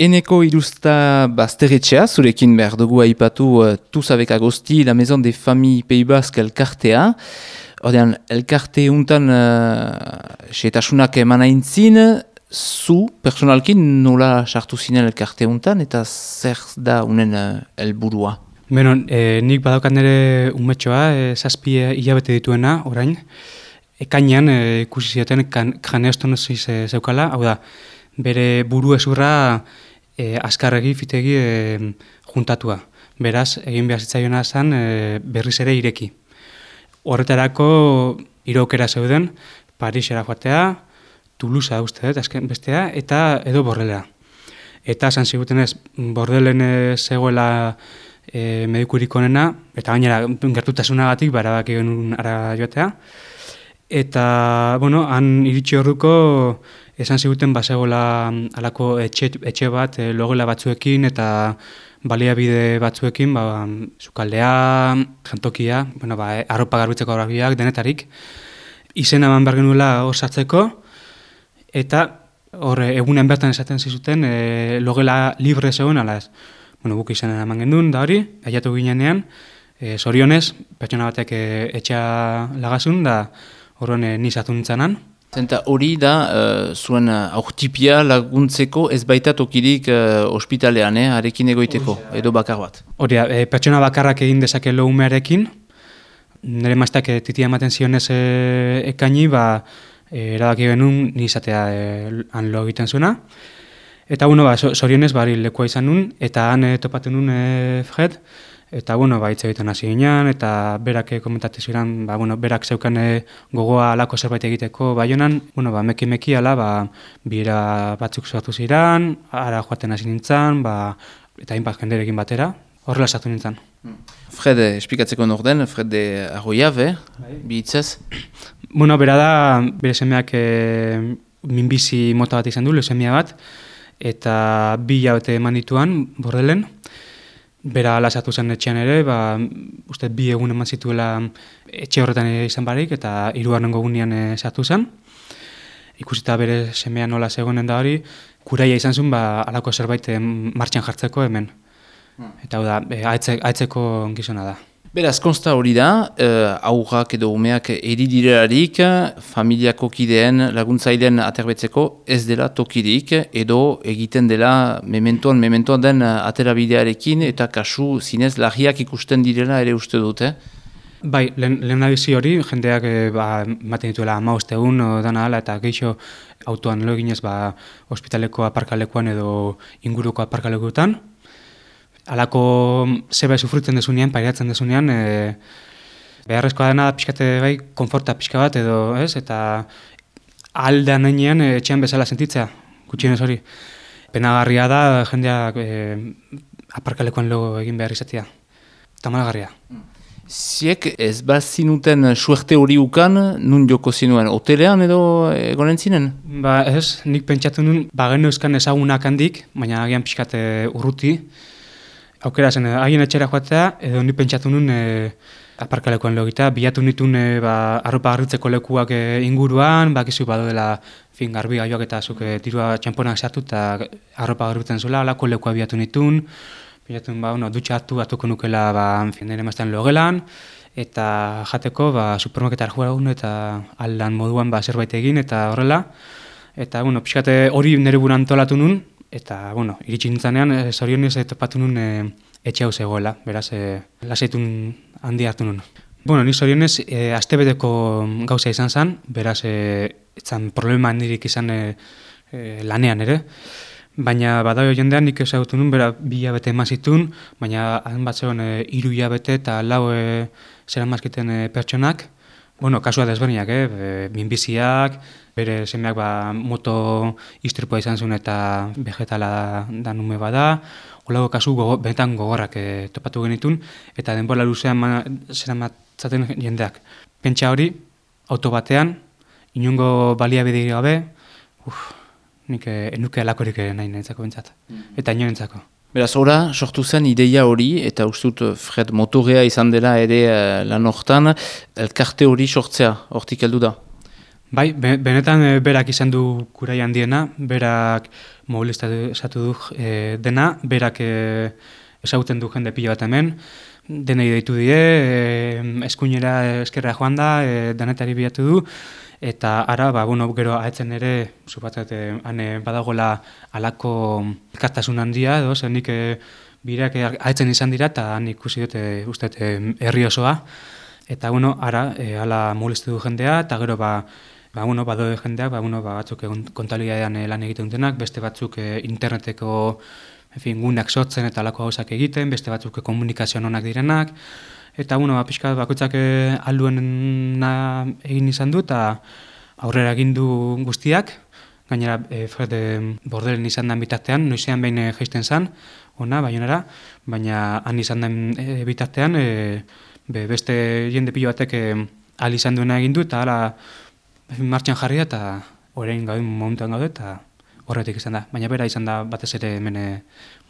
Eneko Irusta Bazterretxea, zurekin behar dugu aipatu Tous avec Agosti, la Maison des Familles Pays Basques elkartea. Ordean, elkarte untan xeetasunak eman aintzin, zu, personalkin, nola sartu zinen elkarte untan, eta zer da unen helburua? Beno, nik badaukat nire umetxoa, 7 hilabete dituena, orain. Ekainean, ikusi zioten, kraneostonosis zeukala, hau da, bere buru ezurra azkarregi, fitegi juntatua. Beraz, egin behar zitzaiona zen berriz ere ireki. Horretarako iraukera zeuden, Parisera joatea, Toulousea uste dut, azken bestea, eta edo Bordelera. Eta esan zigutenez, Bordelen zegoela medikurik onena, eta gainera gertutasunagatik barabak egon ara joatea. Eta, bueno, han iritsi orduko esan ziguten bazegoela alako etxe bat logela batzuekin eta baliabide batzuekin, sukaldea, jantokia, arropa garbitzeko arabiak, denetarik. Izena eman behar genuela hor sartzeko, eta hor egunen bertan esaten zizuten logela libre zegoen, ala ez. Guk izena eman gendun, da hori, aiatu ginean, zorionez, pertsona batek etxea lagazun, da horren nizatu nintzanan. Zenta hori da, zuen aurtipia laguntzeko ez baita tokirik ospitalean, arekin egoiteko, edo bakar bat. Hori da, pertsona bakarrak egin dezake lo umearekin, nire maztak titia ematen zionez ekaini, erabaki genuen nizatea han lo egiten zuena. Eta, zorionez, lekua izan nun, eta han topatu nun Fred, eta, hitz egiten hasi ginean, eta berak komentatu ziren, berak zeukan gogoa alako zerbait egiteko Baionan, meki ala, bira batzuk sortu ziren, ara joaten hasi nintzen, eta hainbat jenderekin batera, horrela sartu nintzen. Fred, esplikatzeko norden, Fred de Arroyabe, bi hitzez? Bera da, bere semeak minbizi mota bat izan du, leusemia bat, eta 2 hilabete eman dituan, Bordelen. Bera lasatu zen etxean ere, uste 2 egun eman zituela etxe horretan izan barik, eta 3. egunean sartu zen. Ikusita bere semea nola zegoenen da hori, kuraia izan zuen, alako zerbait martxan jartzeko hemen. Eta hau da, haitzeko gizona da. Beraz, konsta hori da, aurrak edo umeak eridirerarik, familiako kideen laguntzaileen aterbetzeko ez dela tokirik, edo egiten dela mementoan den aterabidearekin, eta kasu zinez larriak ikusten direla ere uste dute. Bai, lehen abizi hori, jendeak ematen dituela 15 egun dana ala, eta geixo autoan lo eginez ospitaleko aparkalekuan edo inguruko aparkalekuetan. Alako zeba sufritzen desunean, pairatzen desunean, beharrezkoa dena pixkate konforta pixka bat edo, ez? Eta aldean nainean etxean bezala sentitzea, gutxienez hori. Penagarria da jendeak aparkalekoan logo egin behar izatea. Tamalgarria. Ziek ez bazinuten suerte hori ukan, nun joko zinuen, hotelean edo egonen zinen? Ez, nik pentsatu nun, geno euskan ezagunak handik, baina agian pixkate urruti. Aukera zen, haien etxera joatea, edo ni pentsatu nun aparkalekoan logita, bilatu nituen arropa garritzeko lekuak inguruan, bakizu dela garbi gaioak eta zuk tirua txamponak sartu eta arropa garbitzen zuela, alako lekua bilatu nituen, dutxa hartuko nukela nire mazten logelan, eta jateko supermarketar joan eta aldan moduan zerbait egin eta horrela. Eta pixkate hori nire buran antolatu nun, eta, iritsi nintzanean, zorionez topatu nun etxe hau zegoela, beraz, lasaitun handi hartu nun. Ni zorionez, astebeteko gauza izan zen, beraz, etzan problema handirik izan lanean ere, baina badago jendean nik ezagutu nun, 2 hilabete eman zituen, baina han bat zegoen 3 hilabete eta 4 zeran mazkiten pertsonak, kasua desberdinak, minbiziak, bere semeak moto istripua izan zuen eta vegetala da nume bada, holago kasu benetan gogorrak topatu genitun, eta denbora luzean zeran matzaten jendeak. Pentsa hori, auto batean, inongo baliabide gabe, nik enuke alakorik nahi nintzako bentsat, eta inorentzako. Beraz, ora, sortu zen ideia hori, eta uste dut Fred motorea izan dela ere lan hortan, elkarte hori sortzea, hortik heldu da? Bai, benetan berak izan du kurai handiena, berak mobilizatu du dena, berak ezagutzen du jende pila bat hemen, denei deitu die, eskuinera eskerra joan da, denetari bilatu du, eta ara, gero ahetzen ere, supatzat, badagoela alako elkartasun handia, edo, zer nik bireak ahetzen izan dira, eta han ikusi dut, uste, herri osoa, eta, ara, ala mobilizatu du jendea, eta gero, badode jendeak, batzuk kontabilidadean lan egiten dutenak, beste batzuk interneteko guneak sortzen eta alako gauzak egiten, beste batzuk komunikazioan onak direnak, eta pixka bakoitzak alduena egin izan du, eta aurrera egin du guztiak, gainera Fred Bordelen izan den bitartean, noizean behin jaisten zen, Baionara, baina han izan den bitartean, beste jende pilo batek ahal izan duena egin du, eta hala martxan jarri da, eta orain gauden momentuan gaude, eta horretik izan da. Baina bera izan da batez ere hemen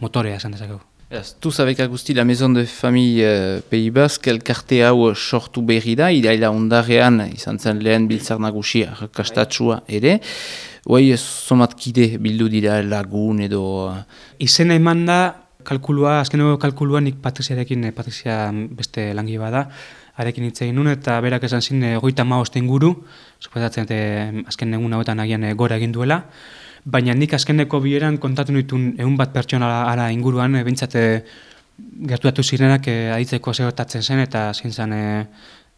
motorea esan dezakegu. Tous avec Agusti, la maison de famille Pays Basque, elkarte hau sortu berri da, iraila ondarean izan zen lehen biltzar nagusia, kastatsua ere. Hoi, somatkide bildu dira lagun edo... Izena eman da, azkeneko kalkulua nik Patriziarekin, Patrizia beste langi bada, arekin hitz egin nun, eta berak esan zin 35 inguru, suposatzen azken egun hauetan agian gora egin duela, baina nik azkeneko bileran kontatu nituen 100 pertsona ala inguruan, bintzate gertuatu zirenak aditzeko zegotatzen zen, eta zein zen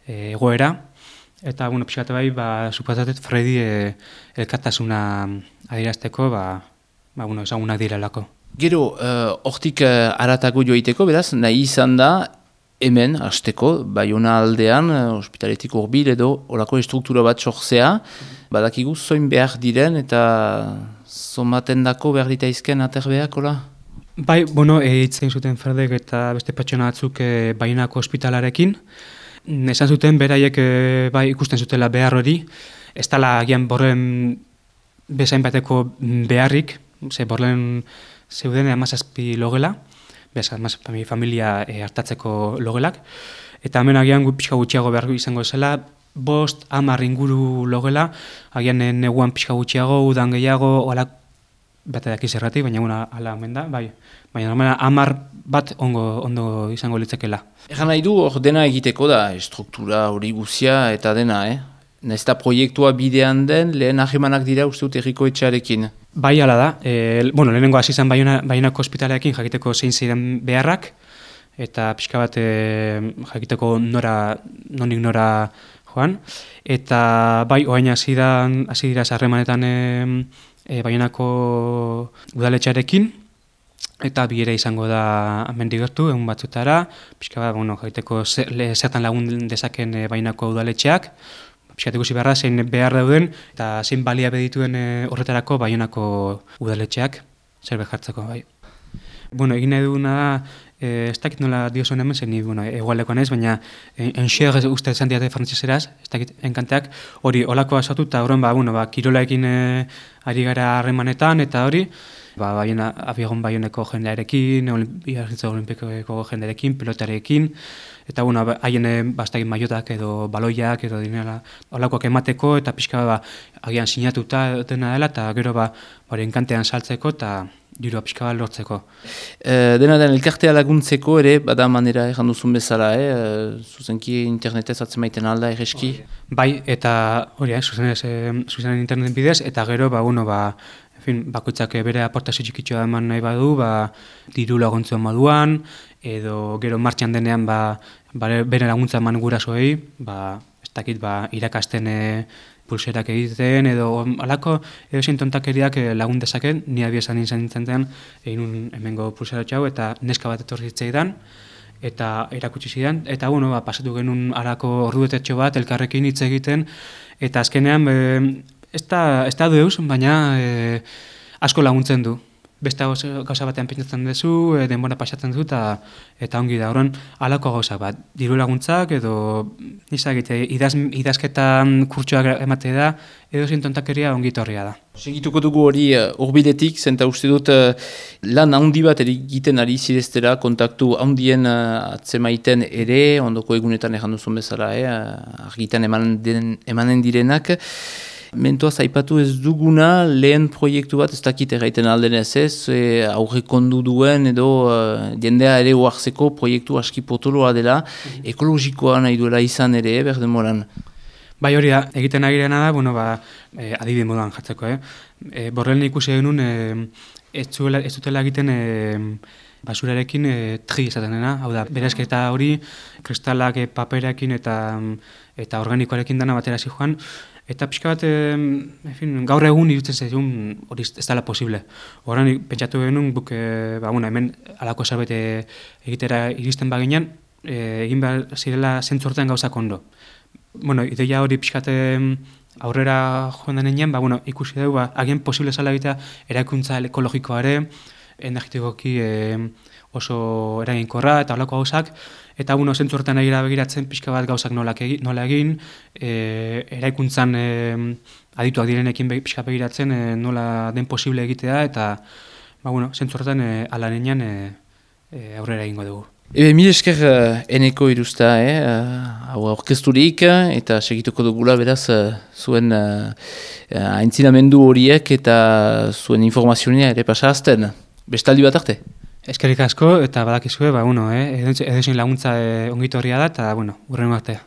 egoera, eta pixkate bai, suposatzen Fredi elkartasuna adierazteko, ezagunak direlako. Gero, hortik haratago joiteko, beraz, nahi izan da, hemen, hasteko, Baiona aldean, ospitaletik hurbil edo, olako estruktura bat sortzea, badakigu zoin behar diren eta zomaten dako behar ditaizken aterbeak, hola? Bai, hitzen zuten Fredek eta beste pertsona batzuk Baionako ospitalarekin. Esan zuten, beraiek ikusten zutela behar hori, ez dela agian Borlen bezain bateko beharrik, Borlen zeuden 17 logela, familia hartatzeko logelak, eta hemen agian pixka gutxiago behar izango zela, 5-10 inguru logela, agian neguan pixka gutxiago, udan gehiago, bat edakiz erratik, baina ala omen da, bai. Baina 10 bat ondo izango litzekela. Egan nahi du, hor dena egiteko da, estruktura hori guzia eta dena, Nesta proiektua bidean den, lehen ahemanak dira uste dut erriko etxearekin. Bai, ala da. Lehenengo hasi zen Baionako ospitalearekin jakiteko zein ziren beharrak, eta pixka bat jakiteko nonik nora joan. Eta bai, oain hasi dira harremanetan Baionako udaletxearekin, eta bilera izango da hemendik gertu, egun batzutara, pixka bat, jakiteko zertan lagun dezaken Baionako udaletxeak, pixkat ikusi beharra, zein behar dauden, eta zein balia bedituen horretarako Baionako udaletxeak, zerbait jartzeko, bai. Egin nahi duguna da, ez dakit nola diozuen hemen, zein egualeko naiz, baina enxer uste esan diate frantzeseraz, ez dakit enkanteak, hori olakoa sortu, eta horren, kirolaekin ari gara harremanetan, eta hori, abiagon Baioneko jendearekin, Biarritz Olimpikoko jendearekin, pelotarekin, eta haien bastakit maiotak edo baloiak edo dinela olakoak emateko, eta pixka agian sinatuta dena dela, eta gero enkantean saltzeko, eta dirua pixka bat lortzeko. Dena den elkartea laguntzeko ere, bada manera egan duzun bezala, zuzenki internetez atzemaiten alda egeski? Bai, eta hori, zuzenen interneten bidez, eta gero, bakoitzak bere aportazio txikitxoa eman nahi badu, diru laguntzuen moduan, edo gero martxan denean bere laguntza eman gurasoei, ez dakit irakasten pulserak egiten, edo alako edo zein tontakeriak lagun dezaken, ni abiesan izan nintzen egin hemengo pulsera txau, eta neska bat etorri zitzaidan, eta erakutsi zidan, eta pasatu genuen alako orduetetxo bat, elkarrekin hitz egiten, eta azkenean ez da deus, baina asko laguntzen du. Beste gauza batean pentsatzen duzu, denbora pasatzen du, eta ongi da. Horren, halako gauzak bat, diru laguntzak, edo idazketan kurtsoak emate da, edo zintontakeria ongi torria da. Segituko dugu hori urbiletik, zenta uste dut lan handi bat egiten ari zireztera, kontaktu handien atzemaiten ere, ondoko egunetan egan duzun bezala, argitan emanen direnak. Mentoaz aipatu ez duguna lehen proiektu bat, ez dakit erraiten aldenez ez, aurrekondu duen edo jendea ere oarzeko proiektu aski potoloa dela, ekologikoa nahi duela izan ere, berdemoran. Bai hori da, egiten agirena da, adibide moduan jartzeko. Borrelin ikusi genuen ez dutela egiten basurarekin tri esaten dena, hau da, berezketa hori, kristalak paperekin eta organikoarekin dana batera joan, eta pixka bat, gaur egun irutzen zaigun hori ez dela posible. Horren pentsatu genuen, hemen alako zerbait egitera iristen baginan, egin behar zirela zentzortean gauzak ondo. Ideia hori pixkate aurrera joan denean, ikusi dugu, agian posible zala egitea eraikuntza ekologikoare, energetikoki oso eraginkorra eta holako gauzak, eta zentzu horretan egira begiratzen pixka bat gauzak nola egin, eraikuntzan adituak direnekin pixka begiratzen nola den posible egitea, eta zentzu horretan ala nenean aurrera egingo dugu. Mil esker eneko iruzta, hau orkesturik eta segituko dugula beraz zuen aintzinamendu horiek eta zuen informazioa ere pasazten. Bestaldi bat arte? Eskerrik asko eta badakizue, edozein laguntza ongitorria da eta, urrengo artea.